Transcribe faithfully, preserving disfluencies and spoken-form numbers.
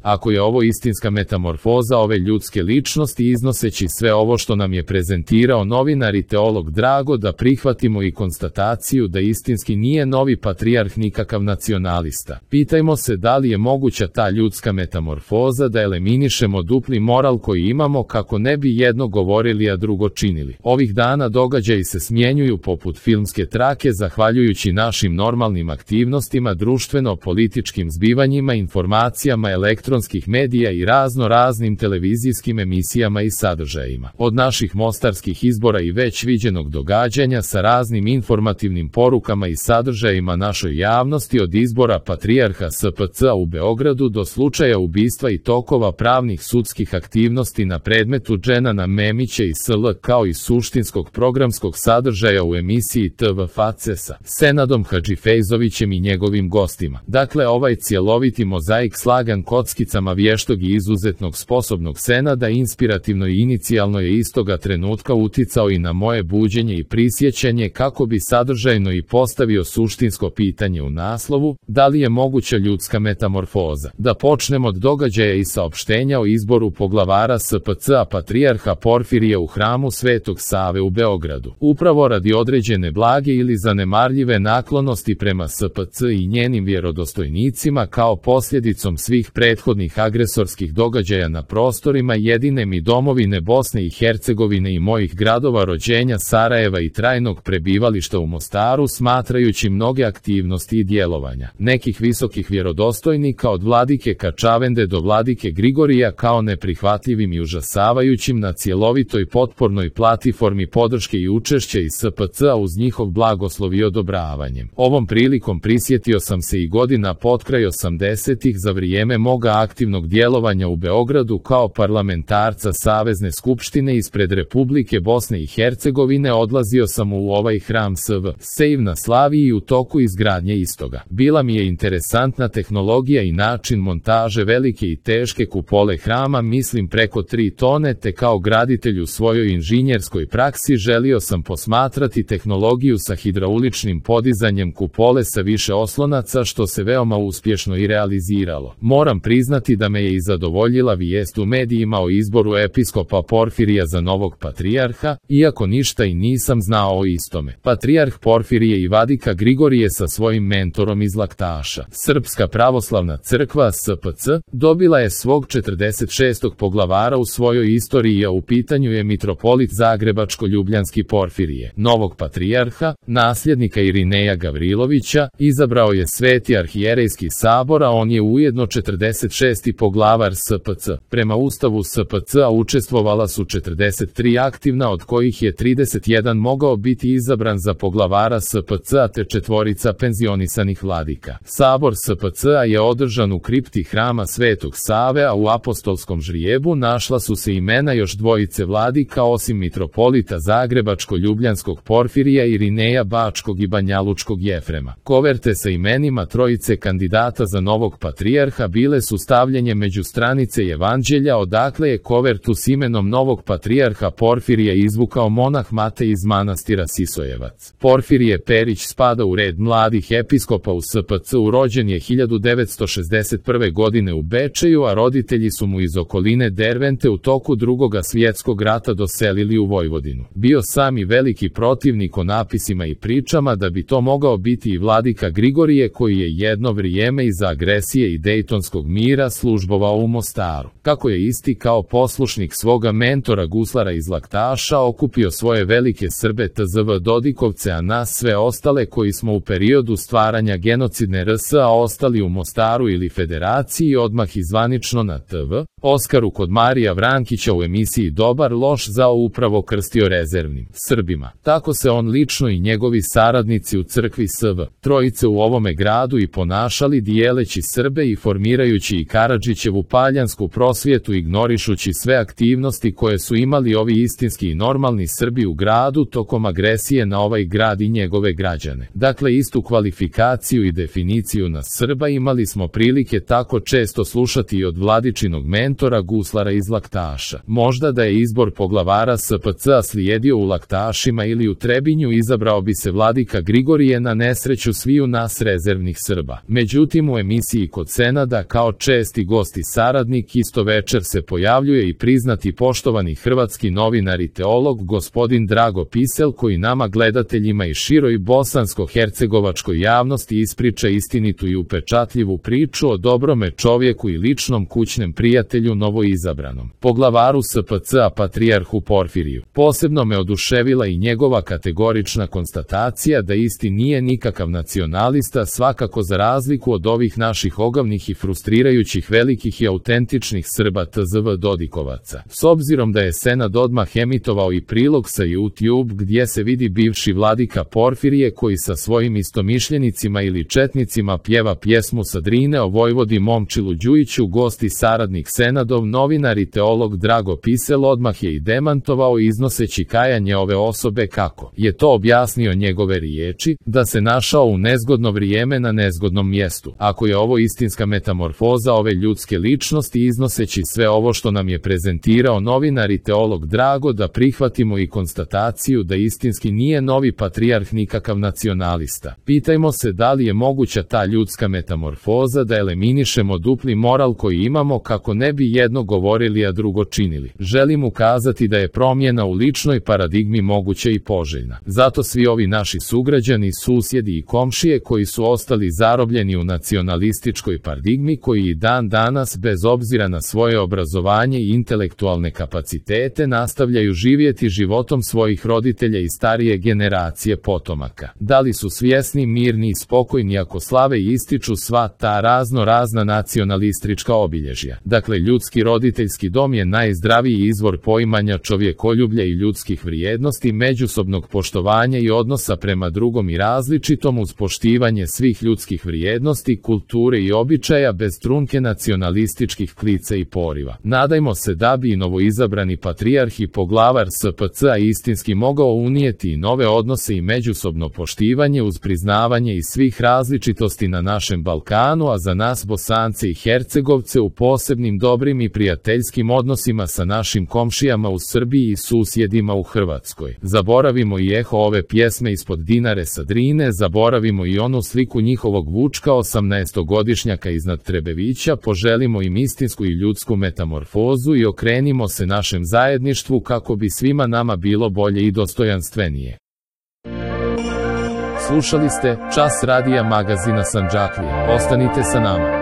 Ako je ovo istinska metamorfoza ove ljudske ličnosti, iznoseći sve ovo što nam je prezentirao novinar i teolog, drago da prihvatimo i konstataciju da istinski nije novi patrijarh nikakav nacionalista. Pitajmo se da li je moguća ta ljudska metamorfoza, da eliminišemo dupli moral koji imamo kako ne bi jedno govorili a drugo činili. Ovih dana događaji se smjenjuju poput filmske trake zahvaljujući našim normalnim aktivnostima, društveno-političkim zbivanjima, informacijama, elektronskih medija i razno raznim televizijskim emisijama i sadržajima. Od naših mostarskih izbora i već viđenog događanja sa raznim informativnim porukama i sadržajima našoj javnosti, od izbora patrijarha S P C-a u Beogradu do slučaja ubistva i tokova pravnih sudskih aktivnosti na predmetu Dženana Memića i S L, kao i suštinskog programskog sadržaja u emisiji T V F A C E S-a, Senadom Hadžifejzovićem i njegovim gostima. Dakle, ovaj cjeloviti mozaik slagan kockicama vještog i izuzetnog sposobnog Senada inspirativno i inicijalno je istoga trenutka uticao i na moje buđenje i prisjećanje kako bi sadržajno i postavio suštinsko pitanje u naslovu: da li je moguća ljudska metamorfoza? Da počnemo od događaja i saopštenja o izboru poglavara S P C-a patrijarha Porfirija u hramu Svetog Save u Beogradu. Upravo radi određene blage ili zanemarljive naklonosti prema S P C i njenim vjerodostojnicima, kao posljedicom svih prethodnih agresorskih događaja na prostorima jedine mi domovine Bosne i Hercegovine i mojih gradova rođenja Sarajeva i trajnog prebivališta u Mostaru, smatrajući mnoge aktivnosti i djelovanja nekih visokih vjerodostojnika od vladike Kačavende do vladike Grigorija kao neprihvatljivim i užasavajućim na cjelovitoj potpornoj platiformi podrške i učešća i S P C-a uz njihov blagoslov i odobravanjem. Ovom prilikom prisjetio sam se i godina potkraj osamdesetih za vrijeme moga aktivnog djelovanja u Beogradu kao parlamentarca Savezne skupštine ispred Republike Bosne i Hercegovine. Odlazio sam u ovaj hram S V Sejv na Slaviji u toku izgradnje istoga. Bila mi je interesantna tehnologija i način montaže velike i teške kupole hrama, mislim preko tri tone, te kao graditelj u svojoj inženjerskoj praksi želio sam posmatrati tehnologiju sa hidrauličnim podizanjem kupole sa više oslonaca, što se veoma uspješno i realiziralo. Moram priznati da me je i zadovoljila vijest u medijima o izboru episkopa Porfirija za novog patrijarha, iako ništa i nisam znao o istome. Patrijarh Porfirije i vladika Grigorije sa svojim mentorom iz Laktaša, Srpska pravoslavna crkva S P C, dobila je svog četrdeset šestog poglavara u svojoj istoriji, a u pitanju je mitropolit Zagrebačko-Ljubljanski Porfirije. Novog patrijarha, nasljednika Irineja Gavrilovića, izabrao je Sveti arhijerejski sabor, a on je ujedno četrdeset šesti poglavar S P C. Prema ustavu S P C-a učestvovala su četrdeset tri aktivna, od kojih je trideset jedan mogao biti izabran za poglavara S P C-a te četvorica penzionisanih vladika. Sabor S P C-a je održan u kripti hrama Svetog Save, a u apostolskom žrijebu našla su se imena još dvojice vladika osim mitropolita Zagrebačko-Ljubljanskog Porfirija, Irineja Bačkog i Banjalučkog Jefrema. Koverte sa imenima trojice kandidata za novog patrijarha bile su stavljanje među stranice Evanđelja, odakle je kovertu s imenom novog patrijarha Porfirija izvukao monah Matej iz manastira Sisojevac. Porfirije Perić spada u red mladih episkopa u S P C-u, rođen je hiljadu devetsto šezdeset prve godine u Bečeju, a roditelji su mu iz okoline Dervente u toku Drugoga svjetskog rata doselili u Vojvodinu. Bio sam i veliki protivnik o napisima i pričama da bi to mogao biti i vladika Grigorije, koji je jedno vrijeme iza agresije i Dejtonskog mira službovao u Mostaru. Kako je isti kao poslušnik svoga mentora guslara iz Laktaša okupio svoje velike Srbe T Z V Dodikovce, a nas sve ostale koji smo u periodu stvaranja genocidne R S a ostali u Mostaru ili Federaciji, odmah izvanično na T V Oskaru kod Marija Vrankića u emisiji Dobar loš zao upravo krstio rezervnim Srbima. Tako se on lično i njegovi saradnici u crkvi S V Trojice u ovome gradu i ponašali, dijeleći Srbe i formirajući i Karadžićevu paljansku prosvjetu, ignorišući sve aktivnosti koje su imali ovi istinski i normalni Srbi u gradu tokom agresije na ovaj grad i njegove građane. Dakle, istu kvalifikaciju i definiciju na Srba imali smo prilike tako često slušati i od vladičinog mentora guslara iz Laktaša. Možda da je izbor poglavara S P C-a slijedio u Laktašima ili u Trebinju, izabrao bi se vladika Grigorije na nesreću sviju nas rezervnih Srba. Međutim, u emisiji kod Senada, kao često šesti gost i saradnik. Isto večer se pojavljuje i priznati poštovani hrvatski novinar i teolog gospodin Drago Pisel, koji nama gledateljima i široj bosansko-hercegovačkoj javnosti ispriča istinitu i upečatljivu priču o dobrome čovjeku i ličnom kućnem prijatelju novoizabranom poglavaru S P C-a patrijarhu Porfiriju. Posebno me oduševila i njegova kategorična konstatacija da isti nije nikakav nacionalista, svakako za razliku od ovih naših ogavnih i frustrirajućih velikih i autentičnih Srba T Z V Dodikovaca. S obzirom da je Senad odmah emitovao i prilog sa YouTube gdje se vidi bivši vladika Porfirije koji sa svojim istomišljenicima ili četnicima pjeva pjesmu sa Drine o vojvodi Momčilu Đujiću, gost i saradnik Senadov novinar i teolog Drago Pisel odmah je i demantovao iznoseći kajanje ove osobe kako je to objasnio njegove riječi, da se našao u nezgodno vrijeme na nezgodnom mjestu. Ako je ovo istinska metamorfoza ove ljudske ličnosti, iznoseći sve ovo što nam je prezentirao novinar i teolog Drago, da prihvatimo i konstataciju da istinski nije novi patrijarh nikakav nacionalista. Pitajmo se da li je moguća ta ljudska metamorfoza, da eliminišemo dupli moral koji imamo kako ne bi jedno govorili a drugo činili. Želim ukazati da je promjena u ličnoj paradigmi moguća i poželjna. Zato svi ovi naši sugrađani, susjedi i komšije koji su ostali zarobljeni u nacionalističkoj paradigmi, koji i dan danas bez obzira na svoje obrazovanje i intelektualne kapacitete nastavljaju živjeti životom svojih roditelja i starije generacije potomaka. Da li su svjesni, mirni i spokojni ako slave i ističu sva ta razno razna nacionalistička obilježja? Dakle, ljudski roditeljski dom je najzdraviji izvor poimanja čovjekoljublja i ljudskih vrijednosti, međusobnog poštovanja i odnosa prema drugom i različitom uz poštivanje svih ljudskih vrijednosti, kulture i običaja bez trunke nacionalističkih klica i poriva. Nadajmo se da bi i novoizabrani patrijarh i poglavar S P C-a istinski mogao unijeti i nove odnose i međusobno poštivanje uz priznavanje i svih različitosti na našem Balkanu, a za nas Bosance i Hercegovce u posebnim dobrim i prijateljskim odnosima sa našim komšijama u Srbiji i susjedima u Hrvatskoj. Zaboravimo i eho ove pjesme ispod Dinare sa Drine, zaboravimo i onu sliku njihovog Vučka osamnaestogodišnjaka iznad Trebevića, poželimo im istinsku i ljudsku metamorfozu i okrenimo se našem zajedništvu kako bi svima nama bilo bolje i dostojanstvenije. Slušali ste Čas radija magazina Sandžaklije. Ostanite sa nama.